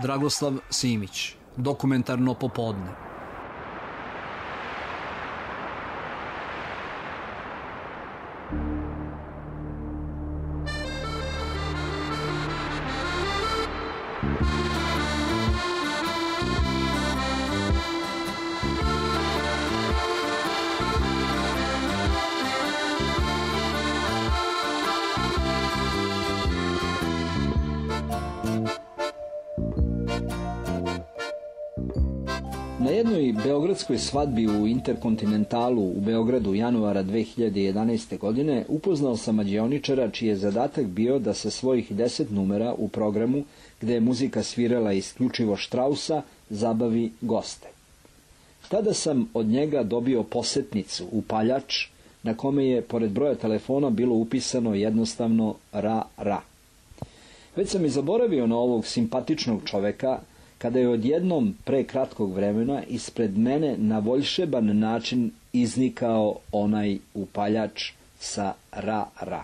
Dragoslav Simić, Dokumentarno popodne. Na jednoj beogradskoj svadbi u Interkontinentalu u Beogradu januara 2011. godine upoznao sam mađioničara čiji je zadatak bio da sa svojih 10 numera u programu, gde je muzika svirala isključivo Štrausa, zabavi goste. Tada sam od njega dobio posetnicu, upaljač, na kome je pored broja telefona bilo upisano jednostavno ra. Već sam i zaboravio na ovog simpatičnog čoveka, kada je odjednom pre kratkog vremena ispred mene na voljšeban način iznikao onaj upaljač sa ra.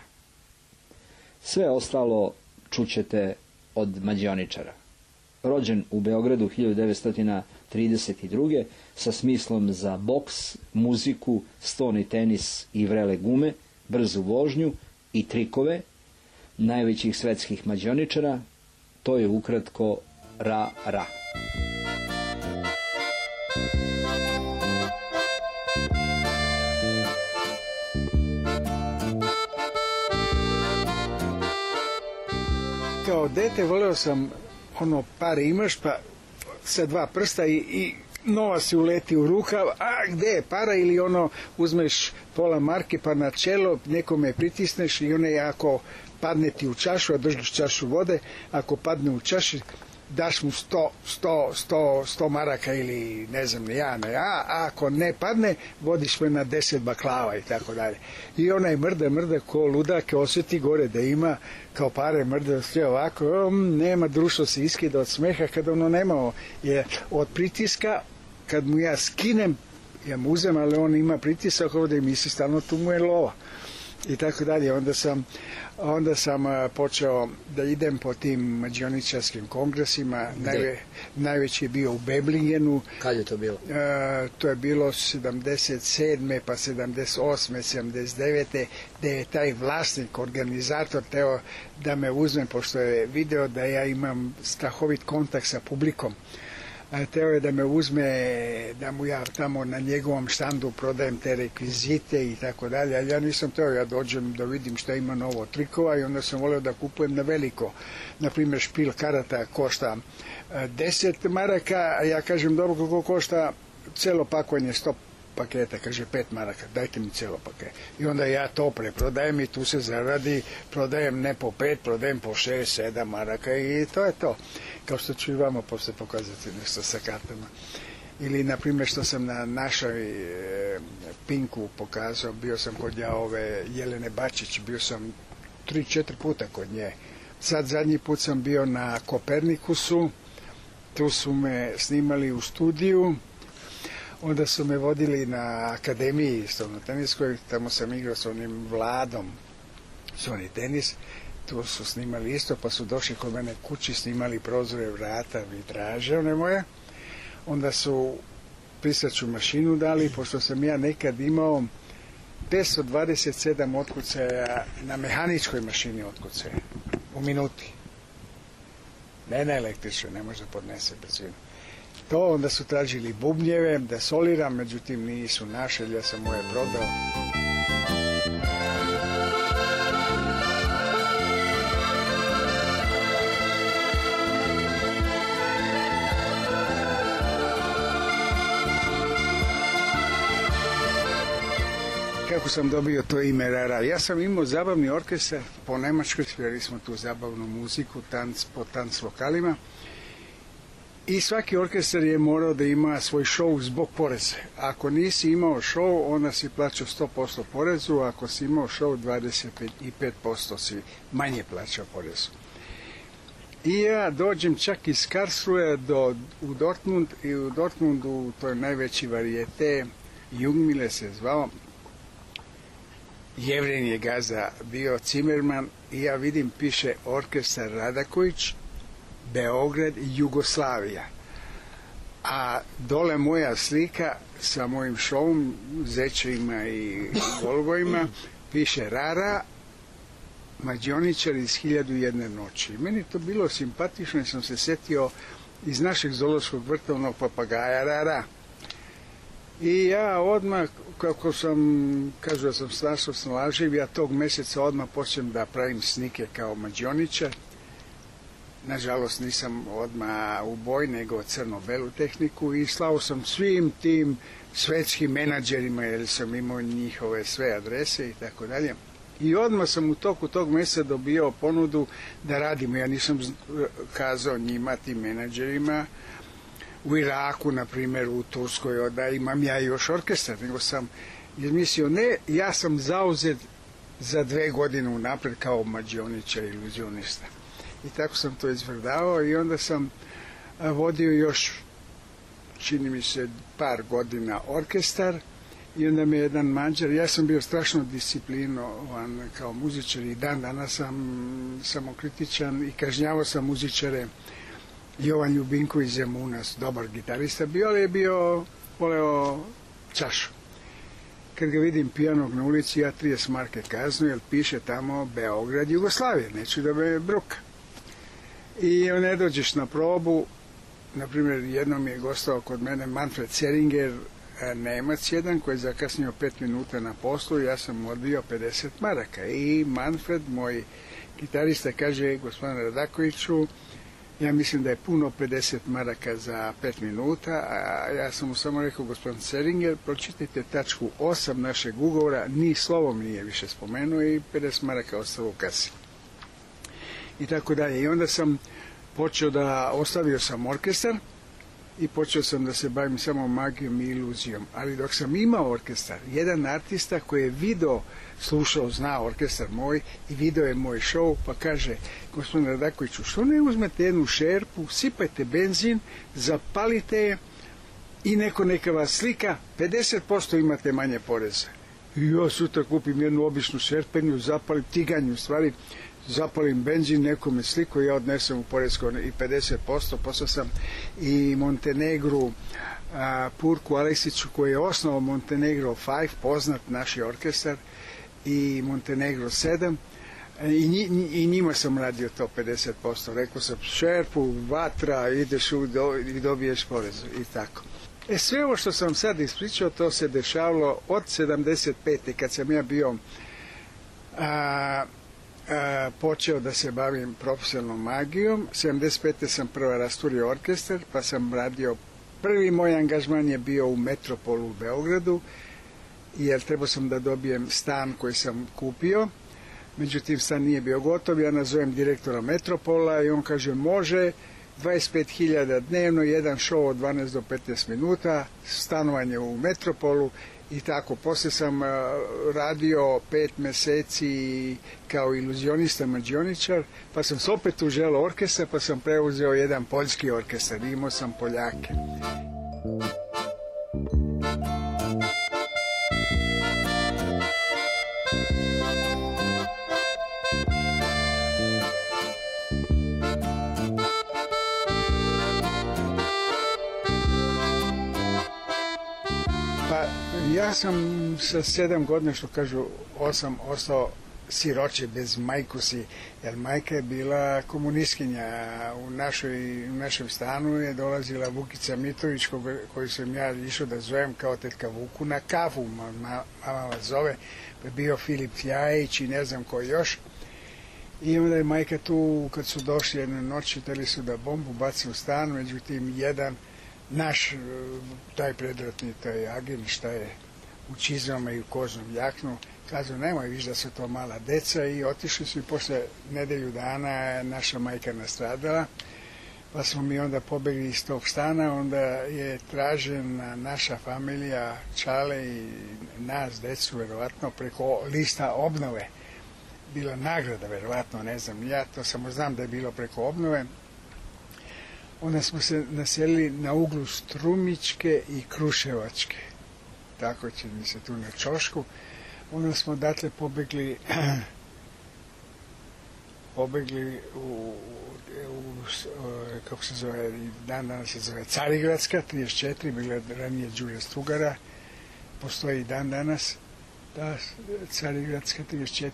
Sve ostalo čućete od mađioničara. Rođen u Beogradu 1932. sa smislom za boks, muziku, stoni tenis i vrele gume, brzu vožnju i trikove najvećih svetskih mađioničara, to je ukratko ra. Kao dete voleo sam pare imaš pa sa 2 prsta i novac si uleti u rukav, a gde je para, ili uzmeš pola marke pa na čelo, nekome pritisneš i ako padne ti u čašu, a držiš čašu vode, ako padne u čaši daš mu 100 maraka ili ne znam ja, a ako ne padne vodiš me na 10 baklava i tako dalje. I onaj mrda ko ludak, osjeti gore da ima kao pare, mrda sve ovako, nema, društvo se iskida od smeha kada nema je od pritiska, kad mu ja skinem, ja mu uzem, ali on ima pritisak ovdje i misli stalno tu mu je lova i tako dalje. Onda sam počeo da idem po tim mađioničarskim kongresima. Najveći je bio u Beblingenu. Kad je to bilo? To je bilo 77. pa 78. 79. gde je taj vlasnik, organizator teo da me uzme, pošto je video da ja imam strahovit kontakt sa publikom. Teo je da me uzme, da mu ja tamo na njegovom štandu prodajem te rekvizite i tako dalje, ali ja nisam teo, ja dođem da vidim šta ima novo trikova i onda sam voleo da kupujem na veliko. Naprimjer, špil karata košta 10 maraka, a ja kažem, dobro, koliko košta celo pakovanje 100 paketa, kaže 5 maraka, dajte mi celo paket. I onda ja to preprodajem i tu se zaradi, prodajem ne po 5, prodajem po 6, 7 maraka i to je to. Kao što ću i vama posle pokazati nešto sa kartama. Ili, na primjer, što sam na našoj Pinku pokazao, bio sam kod Jelene Bačić, bio sam 3-4 puta kod nje. Sad zadnji put sam bio na Kopernikusu, tu su me snimali u studiju, onda su me vodili na akademiji na teniskoj, tamo sam igrao s onim Vladom, Sony tenis, tu su snimali isto, pa su došli kod mene kući, snimali prozore, vrata, vitraže, one moje. Onda su pisaću mašinu dali, pošto sam ja nekad imao 527 otkucaja na mehaničkoj mašini otkucaja u minuti. Ne na električnoj, ne može da podnese brzinu. To onda su tražili bubnjeve da soliram, međutim nisu našli, ja sam moje prodao. Kako sam dobio to ime Rara? Ja sam imao zabavni orkestar po Nemačkoj, svirali smo tu zabavnu muziku, po tanc lokalima. I svaki orkestar je morao da ima svoj show zbog poreza. Ako nisi imao show, onda si plaćao 100% porezu, a ako si imao show, 25% si manje plaćao porezu. I ja dođem čak iz Karlsruhe u Dortmund, i u Dortmundu, to je najveći varijete, Jungmile se zvao, Jevren je gazda bio, Cimerman, i ja vidim, piše orkestar Radaković, Beograd i Jugoslavija. A dole moja slika sa mojim šovom, zečevima i golubovima, piše Rara, mađioničar iz 1001 noći. Meni to bilo simpatično i sam se setio iz našeg zoološkog vrta onog papagaja Rara. I ja odmah, kako sam, kažu da sam strašno snalaživ, ja tog meseca odmah počnem da pravim snike kao mađioničar. Nažalost nisam odmah u boj, nego crno-belu tehniku i slao sam svim tim svetskim menadžerima, jer sam imao njihove sve adrese i tako dalje. I odmah sam u toku tog mjeseca dobio ponudu da radimo. Ja nisam kazao njima, tim menadžerima, u Iraku, na primjer, u Turskoj, da imam ja još orkestar, nego sam izmislio, ne, ja sam zauzet za 2 godine unapred kao mađioničar, iluzionista. I tako sam to izvrdavao i onda sam vodio još, čini mi se, par godina orkestar i onda me jedan Mađar, ja sam bio strašno disciplinovan kao muzičar i dan danas sam samokritičan i kažnjavao sam muzičare. Jovan Ljubinko iz Zemuna, dobar gitarista bio, ali je bio voleo čašu. Kad ga vidim pijanog na ulici, ja 30 marke kaznu, jer piše tamo Beograd, Jugoslavija, neću da me bruka. I ne dođeš na probu, na primjer, jednom je gostao kod mene Manfred Seringer, Nemac jedan, koji je zakasnio 5 minuta na poslu, ja sam mu odbio 50 maraka. I Manfred, moj gitarista, kaže, gospodine Radakoviću, ja mislim da je puno 50 maraka za 5 minuta, a ja sam mu samo rekao, gospodin Seringer, pročitajte tačku 8 našeg ugovora, ni slovom nije više spomenuo i 50 maraka ostalo u kasi. I tako dalje. I onda sam počeo ostavio sam orkestar i počeo sam da se bavim samo magijom i iluzijom. Ali dok sam imao orkestar, jedan artista koji je video, slušao, zna orkestar moj i video je moj show, pa kaže, gospodin Radakoviću, što ne uzmete jednu šerpu, sipajte benzin, zapalite je i neka vas slika, 50% imate manje poreza. I ja sutra kupim jednu običnu šerpenju, zapalim, tiganju stvari, zapalim benzin, nekome sliku, ja odnesem u poresko i 50%, poslao sam i Montenegru, Purku Aleksiću, koji je osnovao Montenegro 5, poznat naš orkestar, i Montenegro 7, i njima sam radio to 50%. Rekao sam, šerpu, vatra, ideš i dobiješ porez i tako. Sve ovo što sam sad ispričao, to se dešavalo od 75. kad sam ja bio počeo da se bavim profesionalnom magijom. 75. sam prvo rasturio orkestar, pa sam radio, prvi moj angažman je bio u Metropolu u Beogradu, jer trebao sam da dobijem stan koji sam kupio, međutim stan nije bio gotov, ja nazovem direktora Metropola i on kaže, može, 25.000 dnevno, jedan show od 12 do 15 minuta, stanovanje u Metropolu. I tako, poslije sam radio 5 meseci kao iluzionista, mađioničar, pa sam se opet uželao orkestra, pa sam preuzeo jedan poljski orkestar, imao sam Poljake. Ja sam sa 7 godina, što kažu 8, ostao siroče bez majkusi, jer majka je bila komunistkinja. U našem stanu je dolazila Vukica Mitović, koju sam ja išao da zovem kao tetka Vuku na kafu, mama vas zove, pa je bio Filip Ljajić i ne znam ko još. I onda je majka tu, kad su došli jedne noći, htjeli su da bombu baci u stan, međutim jedan naš, taj predratni, taj agent, šta je, u čizmama i u kožnom jaknu, kazao, nemoj viš da su to mala deca, i otišli su i posle nedelju dana naša majka nastradala, pa smo mi onda pobegli iz tog stana, onda je tražena naša familija, Čale i nas, decu, verovatno, preko lista obnove. Bila nagrada, verovatno, ne znam, ja to samo znam da je bilo preko obnove. Onda smo se naselili na uglu Strumičke i Kruševačke, tako će mi se tu na Čošku. Onda smo odatle pobegli pobegli kako se zove, dan danas se zove Carigradska, 34, bila je ranije Đure Strugara, postoji i dan danas, ta Carigradska 34,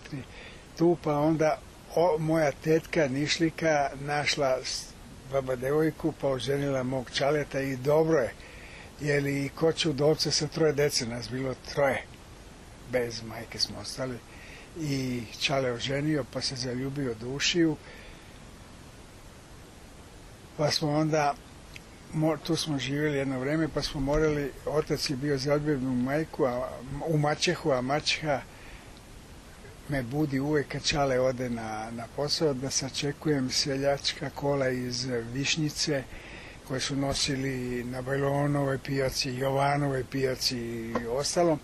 tu pa onda moja tetka Nišlika našla baba devojku, pa oženila mog čaleta i dobro je, jer i kod Čudovca sa 3 dece, nas bilo 3, bez majke smo ostali, i čale oženio, pa se zaljubio Dušiju, pa smo onda, tu smo živjeli jedno vreme, pa smo morali, otac je bio zaljubljen u majku, u maćehu, a maćeha me budi uvek kad čale ode na posao, da sačekujem seljačka kola iz Višnjice, koje su nosili na Bajlonovoj pijaci, Jovanovoj pijaci i ostalo,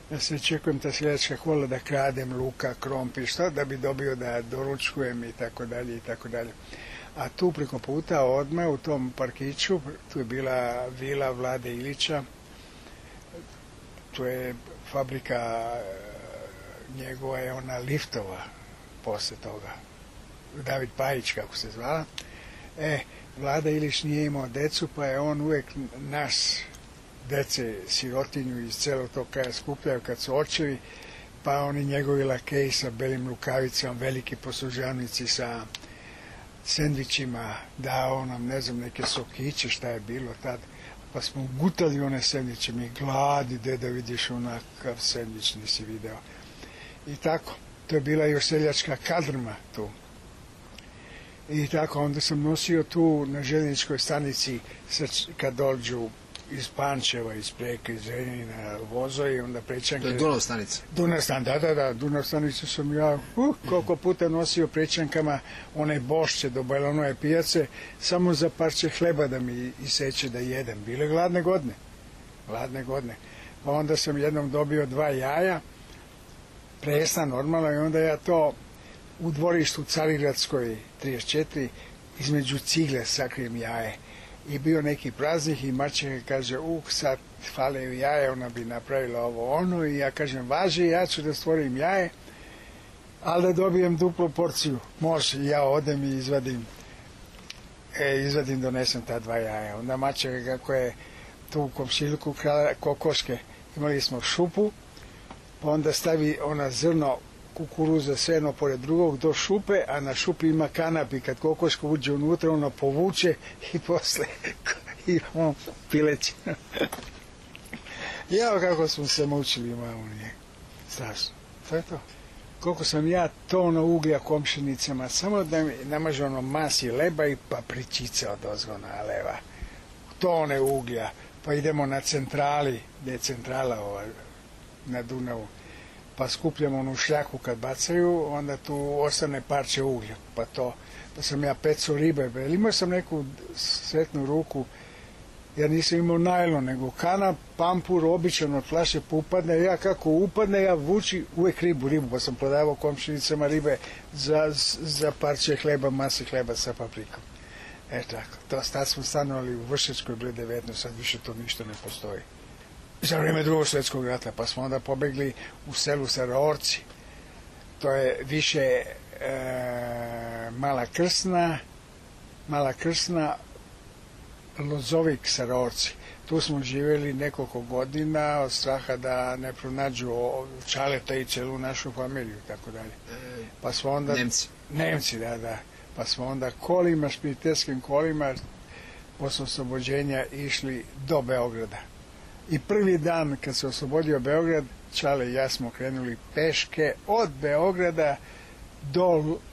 da se čekujem ta seljačka kola, da kradem luka, krompir, što, da bi dobio da doručkujem i tako dalje i tako dalje. A tu preko puta odmah u tom parkiću, tu je bila vila Vlade Ilića, tu je fabrika njegova je ona liftova posle toga, David Pajić kako se zvala. Vlada Ilić nije imao decu, pa je on uvek nas dece sirotinju iz celog tog kraja skupljaju kad su očevi, pa oni njegovi lakeji sa belim rukavicama, veliki poslužavnici sa sendvičima, dao nam, ne znam, neke sokiće, šta je bilo tad, pa smo gutali one sendviče, mi gladi, da vidiš onakav sendvič, nisi video. I tako, to je bila još seljačka kadrma tu. I tako, onda sam nosio tu na željezničkoj stanici, kad dođu iz Pančeva, iz Preke, iz Zrenjanina vozovi, onda prečanke... To je Dunav stanica? Dunav stanica, da, Dunav stanicu sam ja koliko puta nosio prečankama one bošće do Bajlonove pijace, samo za parče hleba da mi iseće da jedem. Bile gladne godine. Pa onda sam jednom dobio 2 jaja, presna normalno, i onda ja to u dvorištu Carigradskoj 34 između cigle sakrijem jaje. I bio neki praznik i maćeha kaže, sad fale jaje, ona bi napravila ovo ono, i ja kažem, važi, ja ću da stvorim jaje, ali da dobijem duplu porciju. Može, ja odem i izvadim, donesem ta 2 jaja. Onda maćeha, kako je tu u komšiluku krala kokoške, imali smo šupu, pa onda stavi ona zrno kukuruza sve jedno pored drugog do šupe, a na šupi ima kanap i kad kokoška uđe unutra, ono povuče i posle i on pileće. Jao, kako smo se mučili, mamu, nije strašno. To je to. Koliko sam ja tona uglja komšinicama, samo da mi namaže ono masi leba i papričica od ozgona leva. Tone uglja, pa idemo na centrali, gde je centrala ova, na Dunavu, pa skupljamo onu šljaku kad bacaju, onda tu ostane parče uglja, pa sam ja peco ribe, imao sam neku sretnu ruku, ja nisam imao najlon, nego kanap, pampur, običan od flaše, pa upadne, ja kako upadne, ja vuči uvek ribu, pa sam prodavao komšinicama ribe za parče hleba, mase hleba sa paprikom. Tako, tad smo stanovali u Vršačkoj broj 19, sad više to ništa ne postoji. Za vreme Drugog svjetskog rata, pa smo onda pobegli u selu Saraorci. To je više Mala Krsna, Lozovik, Saraorci. Tu smo živjeli nekoliko godina od straha da ne pronađu čaleta i celu našu familiju, tako dalje. Pa smo onda... Nemci, da. Pa smo onda kolima, špijiteljskim kolima, posle oslobođenja išli do Beograda. I prvi dan kad se oslobodio Beograd, Čale i ja smo krenuli peške od Beograda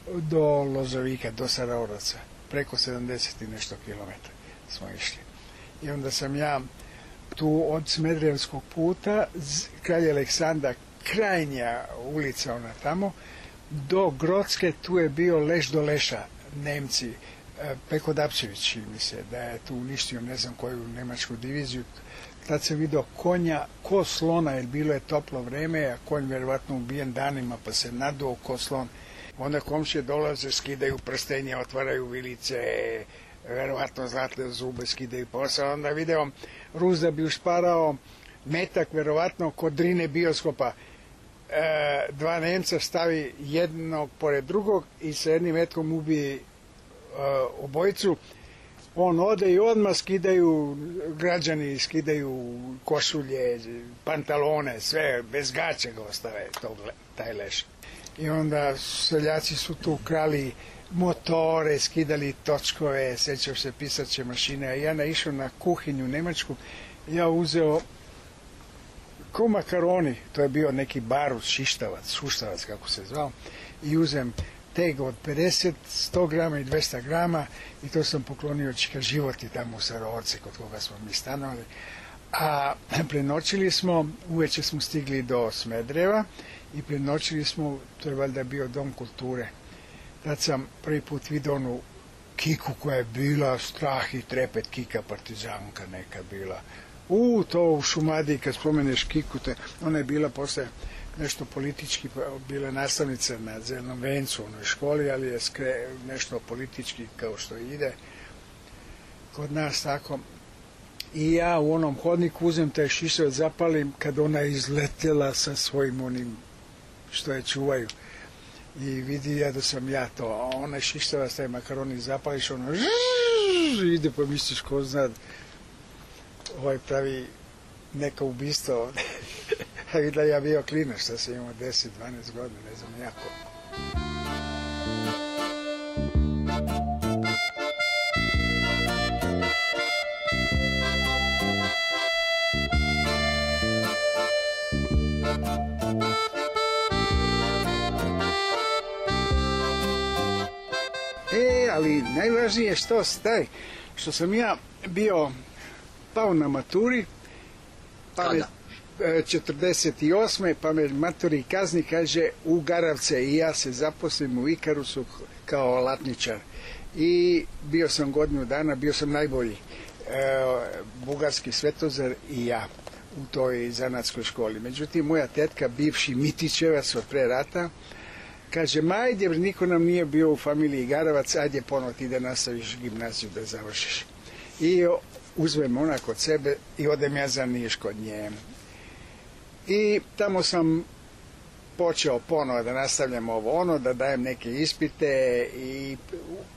do Lozovika, do Saraoraca. Preko 70 i nešto kilometara smo išli. I onda sam ja tu od Smederevskog puta, kralj Aleksandra, krajnja ulica ona tamo, do Grocke, tu je bio Leš do Leša, Nemci, Peko Dapčević, mi se, da je tu uništio ne znam koju nemačku diviziju. Tad sam vidio konja ko slona, jer bilo je toplo vreme, a konj verovatno ubijen danima, pa se naduo ko slon. Onda komšije dolaze, skidaju prstenje, otvaraju vilice, verovatno zlatne zube, skidaju posao. Onda video Rus da bi ušparao metak, verovatno kod Drine bioskopa, dva Nemca stavi jednog pored drugog i sa jednim metkom ubije obojicu. On ode i odmah građani skidaju košulje, pantalone, sve, bez gaća ga ostave taj leš. I onda seljaci su tu krali motore, skidali točkove, sećam se pisaće mašine, a ja naišao na kuhinju nemačku, ja uzeo ko makaroni, to je bio neki barut, šuštavac kako se zvao, i uzem teg od 50, 100 grama i 200 grama i to sam poklonio Čika Životi tamo u Sarovce kod koga smo mi stanovali. A prenoćili smo, uveče smo stigli do Smedreva i prenoćili smo, to je valjda bio Dom kulture. Tad sam prvi put vidio onu Kiku koja je bila strah i trepet, Kika partizanka neka bila. To u Šumadiji kad spomeneš Kiku, ona je bila posle nešto politički, bila nastavnica na Zelenom vencu u onoj školi, ali je nešto politički kao što ide kod nas tako. I ja u onom hodniku uzem taj šišavac, zapalim kad ona je izletela sa svojim onim što je čuvaju. I vidi ja da sam ja to, a onaj šištavac, taj makaroni zapališ, ono ide pa misliš ko zna, pravi neka ubistva ovde. A videla ja bio klinac, šta sam imao 10-12 godina, ne znam jako. Ali najvažnije što sam ja bio pao na maturi, pa me 48. pa me maturi kazni, kaže u Garavce i ja se zaposlim u Ikarusu kao alatničar. I bio sam godinu dana, bio sam najbolji bugarski Svetozar i ja u toj zanatskoj školi. Međutim, moja tetka, bivši Mitićevac od pre rata, kaže, ajde, niko nam nije bio u familiji Garavac, ajde ponovo ti da nastaviš gimnaziju da završiš. I uzmem ona kod sebe i odem ja za Niš kod nje. I tamo sam počeo ponovo da nastavljam da dajem neke ispite i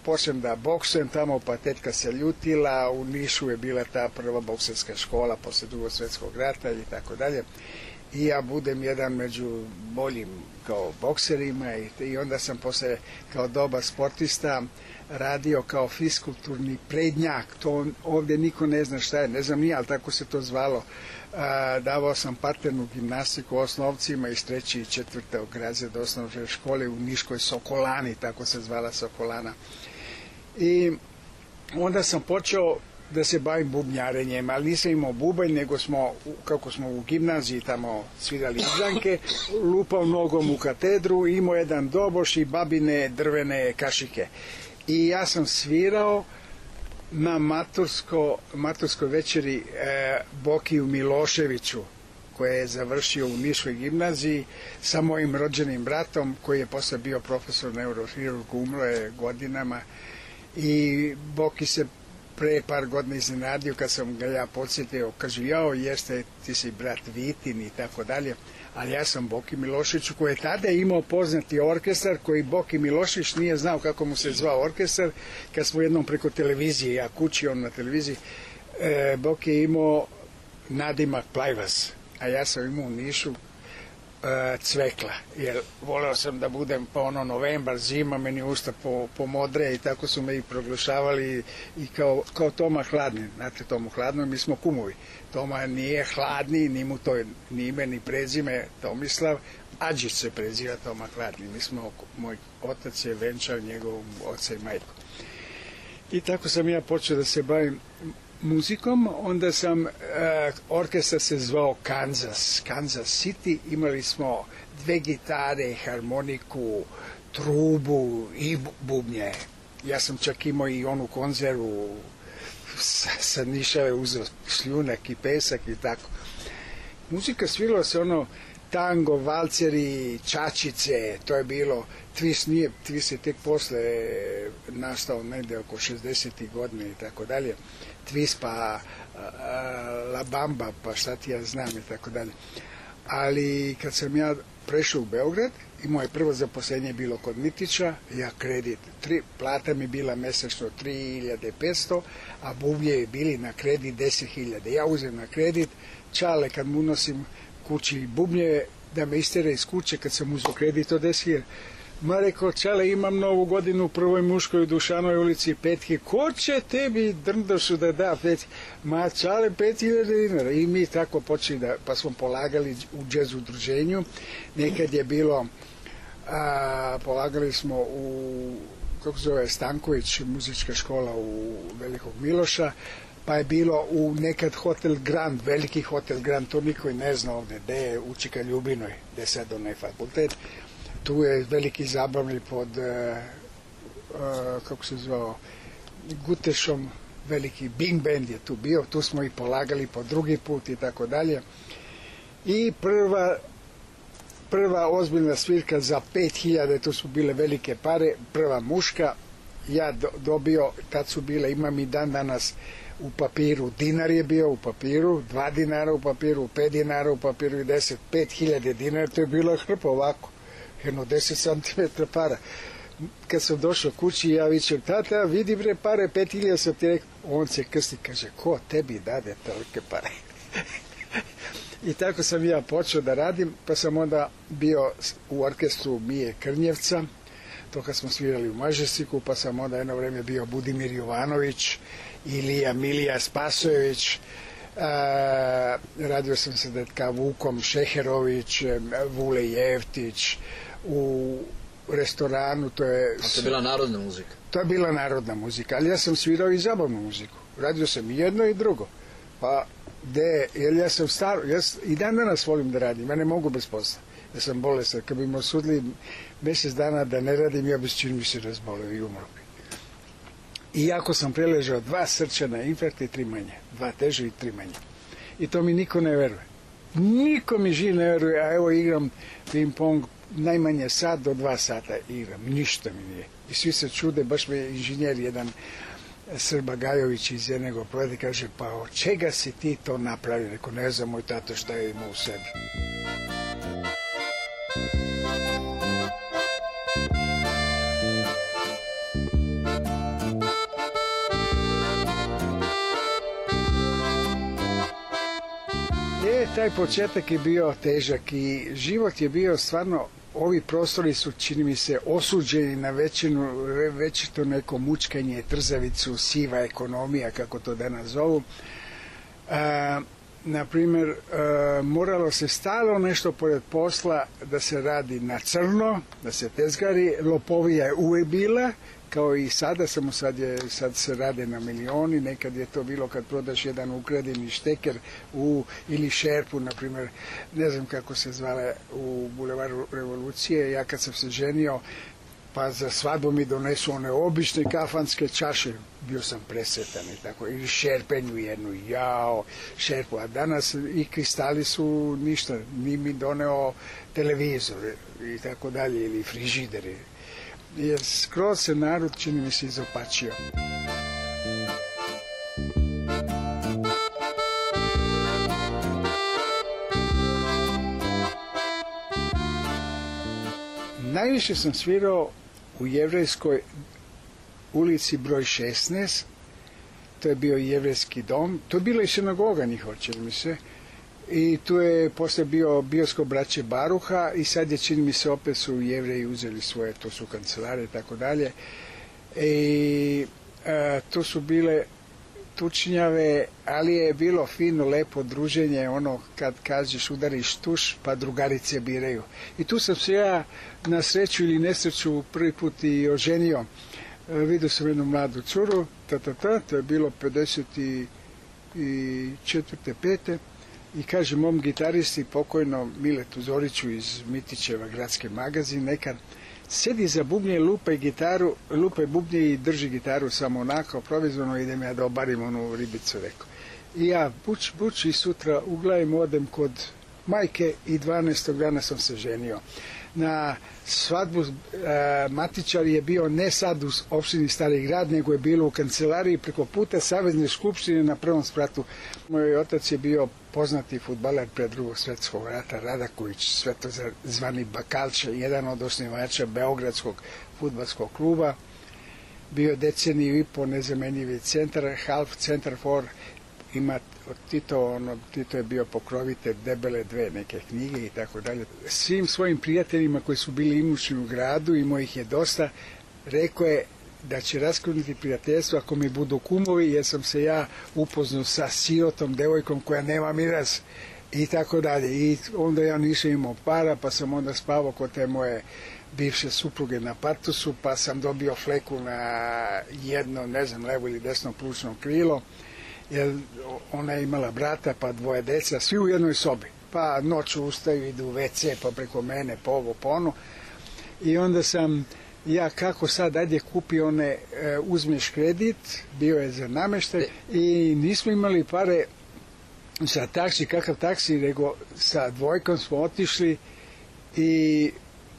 počnem da boksujem tamo, pa tetka se ljutila, u Nišu je bila ta prva bokserska škola posle Drugog svjetskog rata i tako dalje. I ja budem jedan među boljim kao bokserima i onda sam posle kao dobar sportista radio kao fiskulturni prednjak. To ovdje niko ne zna šta je, ne znam nije, ali tako se to zvalo. Davao sam parternu gimnastiku osnovcima iz 3. i 4. razreda osnovne škole u Niškoj Sokolani, tako se zvala Sokolana. I onda sam počeo da se bavim bubnjarenjem, ali nisam imao bubanj, nego kako smo u gimnaziji tamo svirali izdanke, lupao nogom u katedru, imao jedan doboš i babine drvene kašike. I ja sam svirao na maturskoj večeri Bokiju Miloševiću, koji je završio u Niškoj gimnaziji sa mojim rođenim bratom, koji je posle bio profesor neurohirurg, umro je godinama. I Boki se pre par godina iznenadio kad sam ga ja podsjetio, kaže, jao, jeste, ti si brat Vitin i tako dalje, ali ja sam Boki Milošević, koji je tada imao poznati orkestar, koji Boki Milošević nije znao kako mu se zvao orkestar, kad smo jednom preko televizije, ja kući, on na televiziji, Boki je imao nadimak Plajvas, a ja sam imao u Nišu Cvekla, jer voleo sam da budem pa novembar, zima, meni usta pomodre i tako su me i proglašavali i kao Toma Hladni. Znate, Tomu Hladno, mi smo kumovi. Toma nije Hladni, ni mu to ni ime, ni prezime Tomislav, Adžić se preziva Toma Hladni. Moj otac je venčao njegovom oca i majku. I tako sam ja počeo da se bavim muzikom, onda sam, orkestar se zvao Kansas City, imali smo 2 gitare, harmoniku, trubu i bubnje. Ja sam čak imao i onu konzervu sa Nišave, uzeo šljunak i pesak i tako. Muzika svirala se tango, valceri, čačice, to je bilo, twist je tek posle nastao negde oko 60. godine i tako dalje. Twist pa La Bamba, pa šta ti ja znam i tako dalje. ali kad sam ja prešao u Beograd i moje prvo zaposlenje je bilo kod Mitića, ja kredit, plata mi bila mesečno 3.500, a bubnje je bili na kredit 10.000. Ja uzem na kredit, čale kad mu unosim kući bubnje, da me istere iz kuće kad sam uzeo kredit od 10.000. Ma rekao, čale, imam Novu godinu u Prvoj Muškoj u Dušanoj ulici petke, ko će tebi drndošu da da petke? Ma čale, 5.000 dinara. I mi tako počeli pa smo polagali u džez udruženju. Nekad je bilo, polagali smo u, kako zove, Stanković, muzička škola u Velikog Miloša, pa je bilo u nekad Hotel Grand, veliki Hotel Grand, to niko ne zna ovde, gde je u Čika Ljubinoj, gde je sad onaj fakultet. Tu je veliki zabavni pod, kako se zvao, Gutešom, veliki Bing Band je tu bio, tu smo i polagali po drugi put i tako dalje. I prva ozbiljna svirka za 5.000, tu su bile velike pare, prva muška, ja dobio, tad su bile, imam i dan danas u papiru, dinar je bio u papiru, 2 dinara u papiru, 5 dinara u papiru i 10, 5.000 dinara, to je bila hrpa ovako. Jedno 10 cm para. Kad sam došao kući, ja vičem, tata, vidi bre pare, 5.000 sam ti rekao. On se krsti, kaže, ko tebi dade tolike pare? I tako sam ja počeo da radim, pa sam onda bio u orkestru Mije Krnjevca, to kad smo svirali u Mažesiku, pa sam onda jedno vreme bio Budimir Jovanović, Ilija Milija Spasojević, radio sam sa detka Vukom Šeherović, Vule Jeftić, u restoranu, to je... A to je bila narodna muzika? To je bila narodna muzika, ali ja sam svirao i zabavnu muziku. Radio sam i jedno i drugo. Pa, jer ja sam staro, i dan danas volim da radim, ja ne mogu bez posla. Ja sam bolestan, kad bi me osudili mjesec dana da ne radim, ja bi čini mi se razboleo i umro bi. Iako sam preležao 2 srčana infarkta i 3 manje. 2 teže i 3 manje. I to mi niko ne veruje. Niko mi živ ne veruje, a evo igram ping-pong najmanje sat do 2 sata igram. Ništa mi nije. I svi se čude, baš me inženjer jedan Srba Gajović iz jednego projekta kaže, pa od čega si ti to napravio? Rekao, ne znam, moj tato šta je imao u sebi. Taj početak je bio težak i život je bio stvarno, ovi prostori su, čini mi se, osuđeni na većito neko mučkanje, trzavicu, siva ekonomija, kako to danas zovu. Naprimjer, moralo se stalno nešto pored posla da se radi na crno, da se tezgari, lopovija je uvek bila, kao i sada, samo sad se rade na milioni, nekad je to bilo kad prodaš jedan ukradeni šteker ili šerpu, na primjer, ne znam kako se zvala u Bulevaru Revolucije, ja kad sam se ženio, pa za svadbu mi donesu one obične kafanske čaše, bio sam presretan i tako, ili šerpenju jednu, šerpu, a danas i kristali su ništa, ni mi doneo televizor i tako dalje, ili frižideri. Jer skroz se narod, čini mi se, izopačio. Najviše sam svirao u Jevrejskoj ulici broj 16, to je bio jevrejski dom, to je bila i sinagoga njihova, čini mi se, i tu je posle bio bioskop braće Baruha i sad je, čini mi se, opet su Jevreji uzeli svoje, to su kancelare i tako dalje. I tu su bile tučnjave, ali je bilo fino, lepo druženje, ono kad kažeš udariš tuš, pa drugarice biraju. I tu sam se ja na sreću ili nesreću prvi put i oženio. Vidio sam jednu mladu curu, to je bilo 54. 5. I kaže mom gitaristi, pokojno Miletu Zoriću iz Mitićeva gradske magazin, nekad sedi za bubnje, lupa bubnje i drži gitaru samo onako, provizorno, idem ja da obarim onu ribicu, rekao. I ja buč i sutra uglavim odem kod majke i 12. dana sam se ženio. Na svadbu matičar je bio ne sad u opštini Stari grad, nego je bilo u kancelariji preko puta Savezne skupštine na prvom spratu. Moj otac je bio poznati fudbaler pre Drugog svetskog rata, Radaković, Svetozar zvani Bakalče, jedan od osnivača Beogradskog fudbalskog kluba. Bio deceniju i po nezamenjivi centar, half centar for, ima od Tito je bio pokrovitelj Debele dve neke knjige i tako dalje. Svim svojim prijateljima koji su bili imućni u gradu, imao ih je dosta, rekao je da će raskinuti prijateljstvo ako mi budu kumovi, jer sam se ja upoznao sa sirotom devojkom koja nema miraz i tako dalje. I onda ja nisam imao para, pa sam onda spavao kod te moje bivše supruge na Partusu, pa sam dobio fleku na jedno, ne znam, levo ili desno plućno krilo, jer ona je imala brata, pa dvoje deca, svi u jednoj sobi. Pa noću ustaju, idu u WC, pa preko mene, po ovo, po ono. I onda sam ja, kako sad, ajde kupi one, uzmeš kredit, bio je za nameštaj i nismo imali pare za taksi, kakav taksi, nego sa dvojkom smo otišli i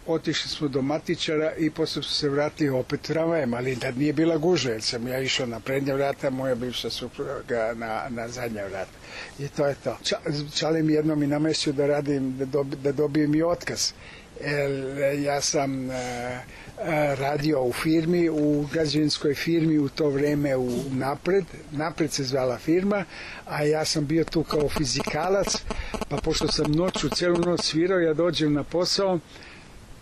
otišli smo do matičara i posle su se vratili opet tramvajem, ali tad nije bila gužva, jer sam ja išao na prednja vrata, moja bivša supruga na zadnja vrata. I to je to. Čale mi jednom i namestio da radim, da dobijem i otkaz. Ja sam radio u firmi, u građevinskoj firmi u to vreme u Napred se zvala firma, a ja sam bio tu kao fizikalac, pa pošto sam noću, celu noć svirao, ja dođem na posao,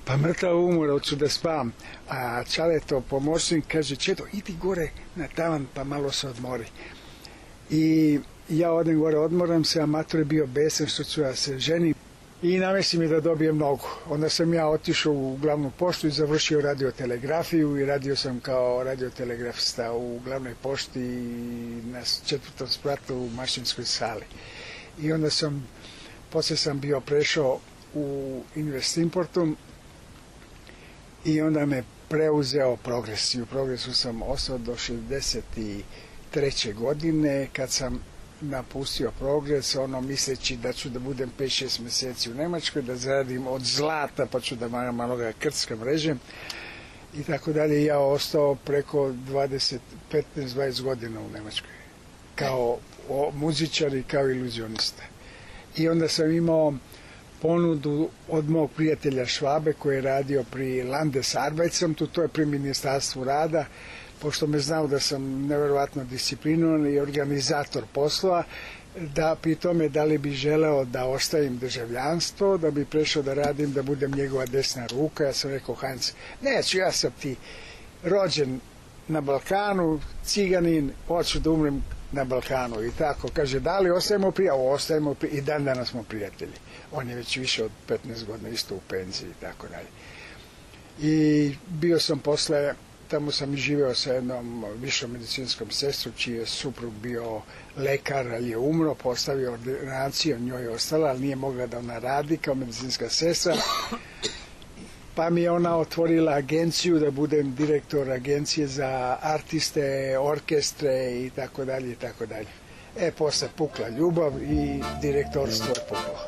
pa mrtav umor, hoću da spavam. A Čaleto, pomoćnik, kaže, Čedo, idi gore na tavan pa malo se odmori. I ja odem gore, odmoram se, a mator je bio besan što ću ja se ženim i namesti mi da dobijem nogu. Onda sam ja otišao u glavnu poštu i završio radiotelegrafiju i radio sam kao radiotelegrafista u glavnoj pošti na 4. spratu u mašinskoj sali. I onda posle sam bio prešao u Investimportu i onda me preuzeo Progres. I u Progresu sam ostao do 63. godine, kad sam napustio Progres, misleći da ću da budem 5-6 meseci u Nemačkoj, da zaradim od zlata, pa ću da malo ga krcka mrežem i tako dalje. Ja ostao preko 15-20 godina u Nemačkoj, kao muzičar i kao iluzionista. I onda sam imao ponudu od mog prijatelja Švabe koji je radio pri Landesarbeitsamt, to je pri Ministarstvu rada, pošto me znao da sam neverovatno disciplinovan i organizator poslova, da pri tome da li bi želeo da ostavim državljanstvo, da bi prešao da radim, da budem njegova desna ruka. Ja sam rekao, Heinz, neću, ja sam ti rođen na Balkanu, ciganin, hoću da umrem na Balkanu i tako. Kaže, da li ostajemo prijatelji? Ostajemo prijatelji i dan danas smo prijatelji. On je već više od 15 godina isto u penziji i tako dalje. I bio sam posle, tamo sam i živeo sa jednom višom medicinskom sestrom, čiji je suprug bio lekar, ali je umro, postavio ordinaciju, njoj je ostala, ali nije mogla da ona radi kao medicinska sestra. Pa mi je ona otvorila agenciju da budem direktor agencije za artiste, orkestre i tako dalje i tako dalje. Posle pukla ljubav i direktorstvo je puklo.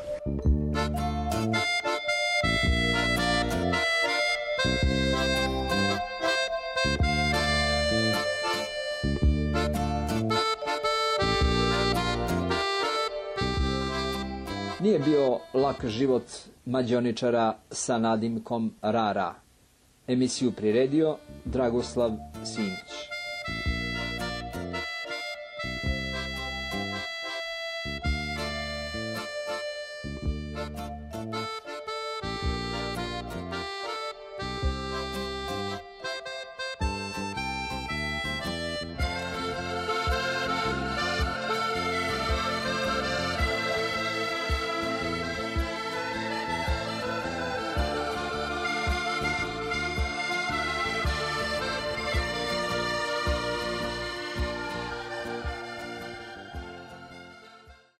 Nije bio lak život mađioničara sa nadimkom Rara. Emisiju priredio Dragoslav Simić.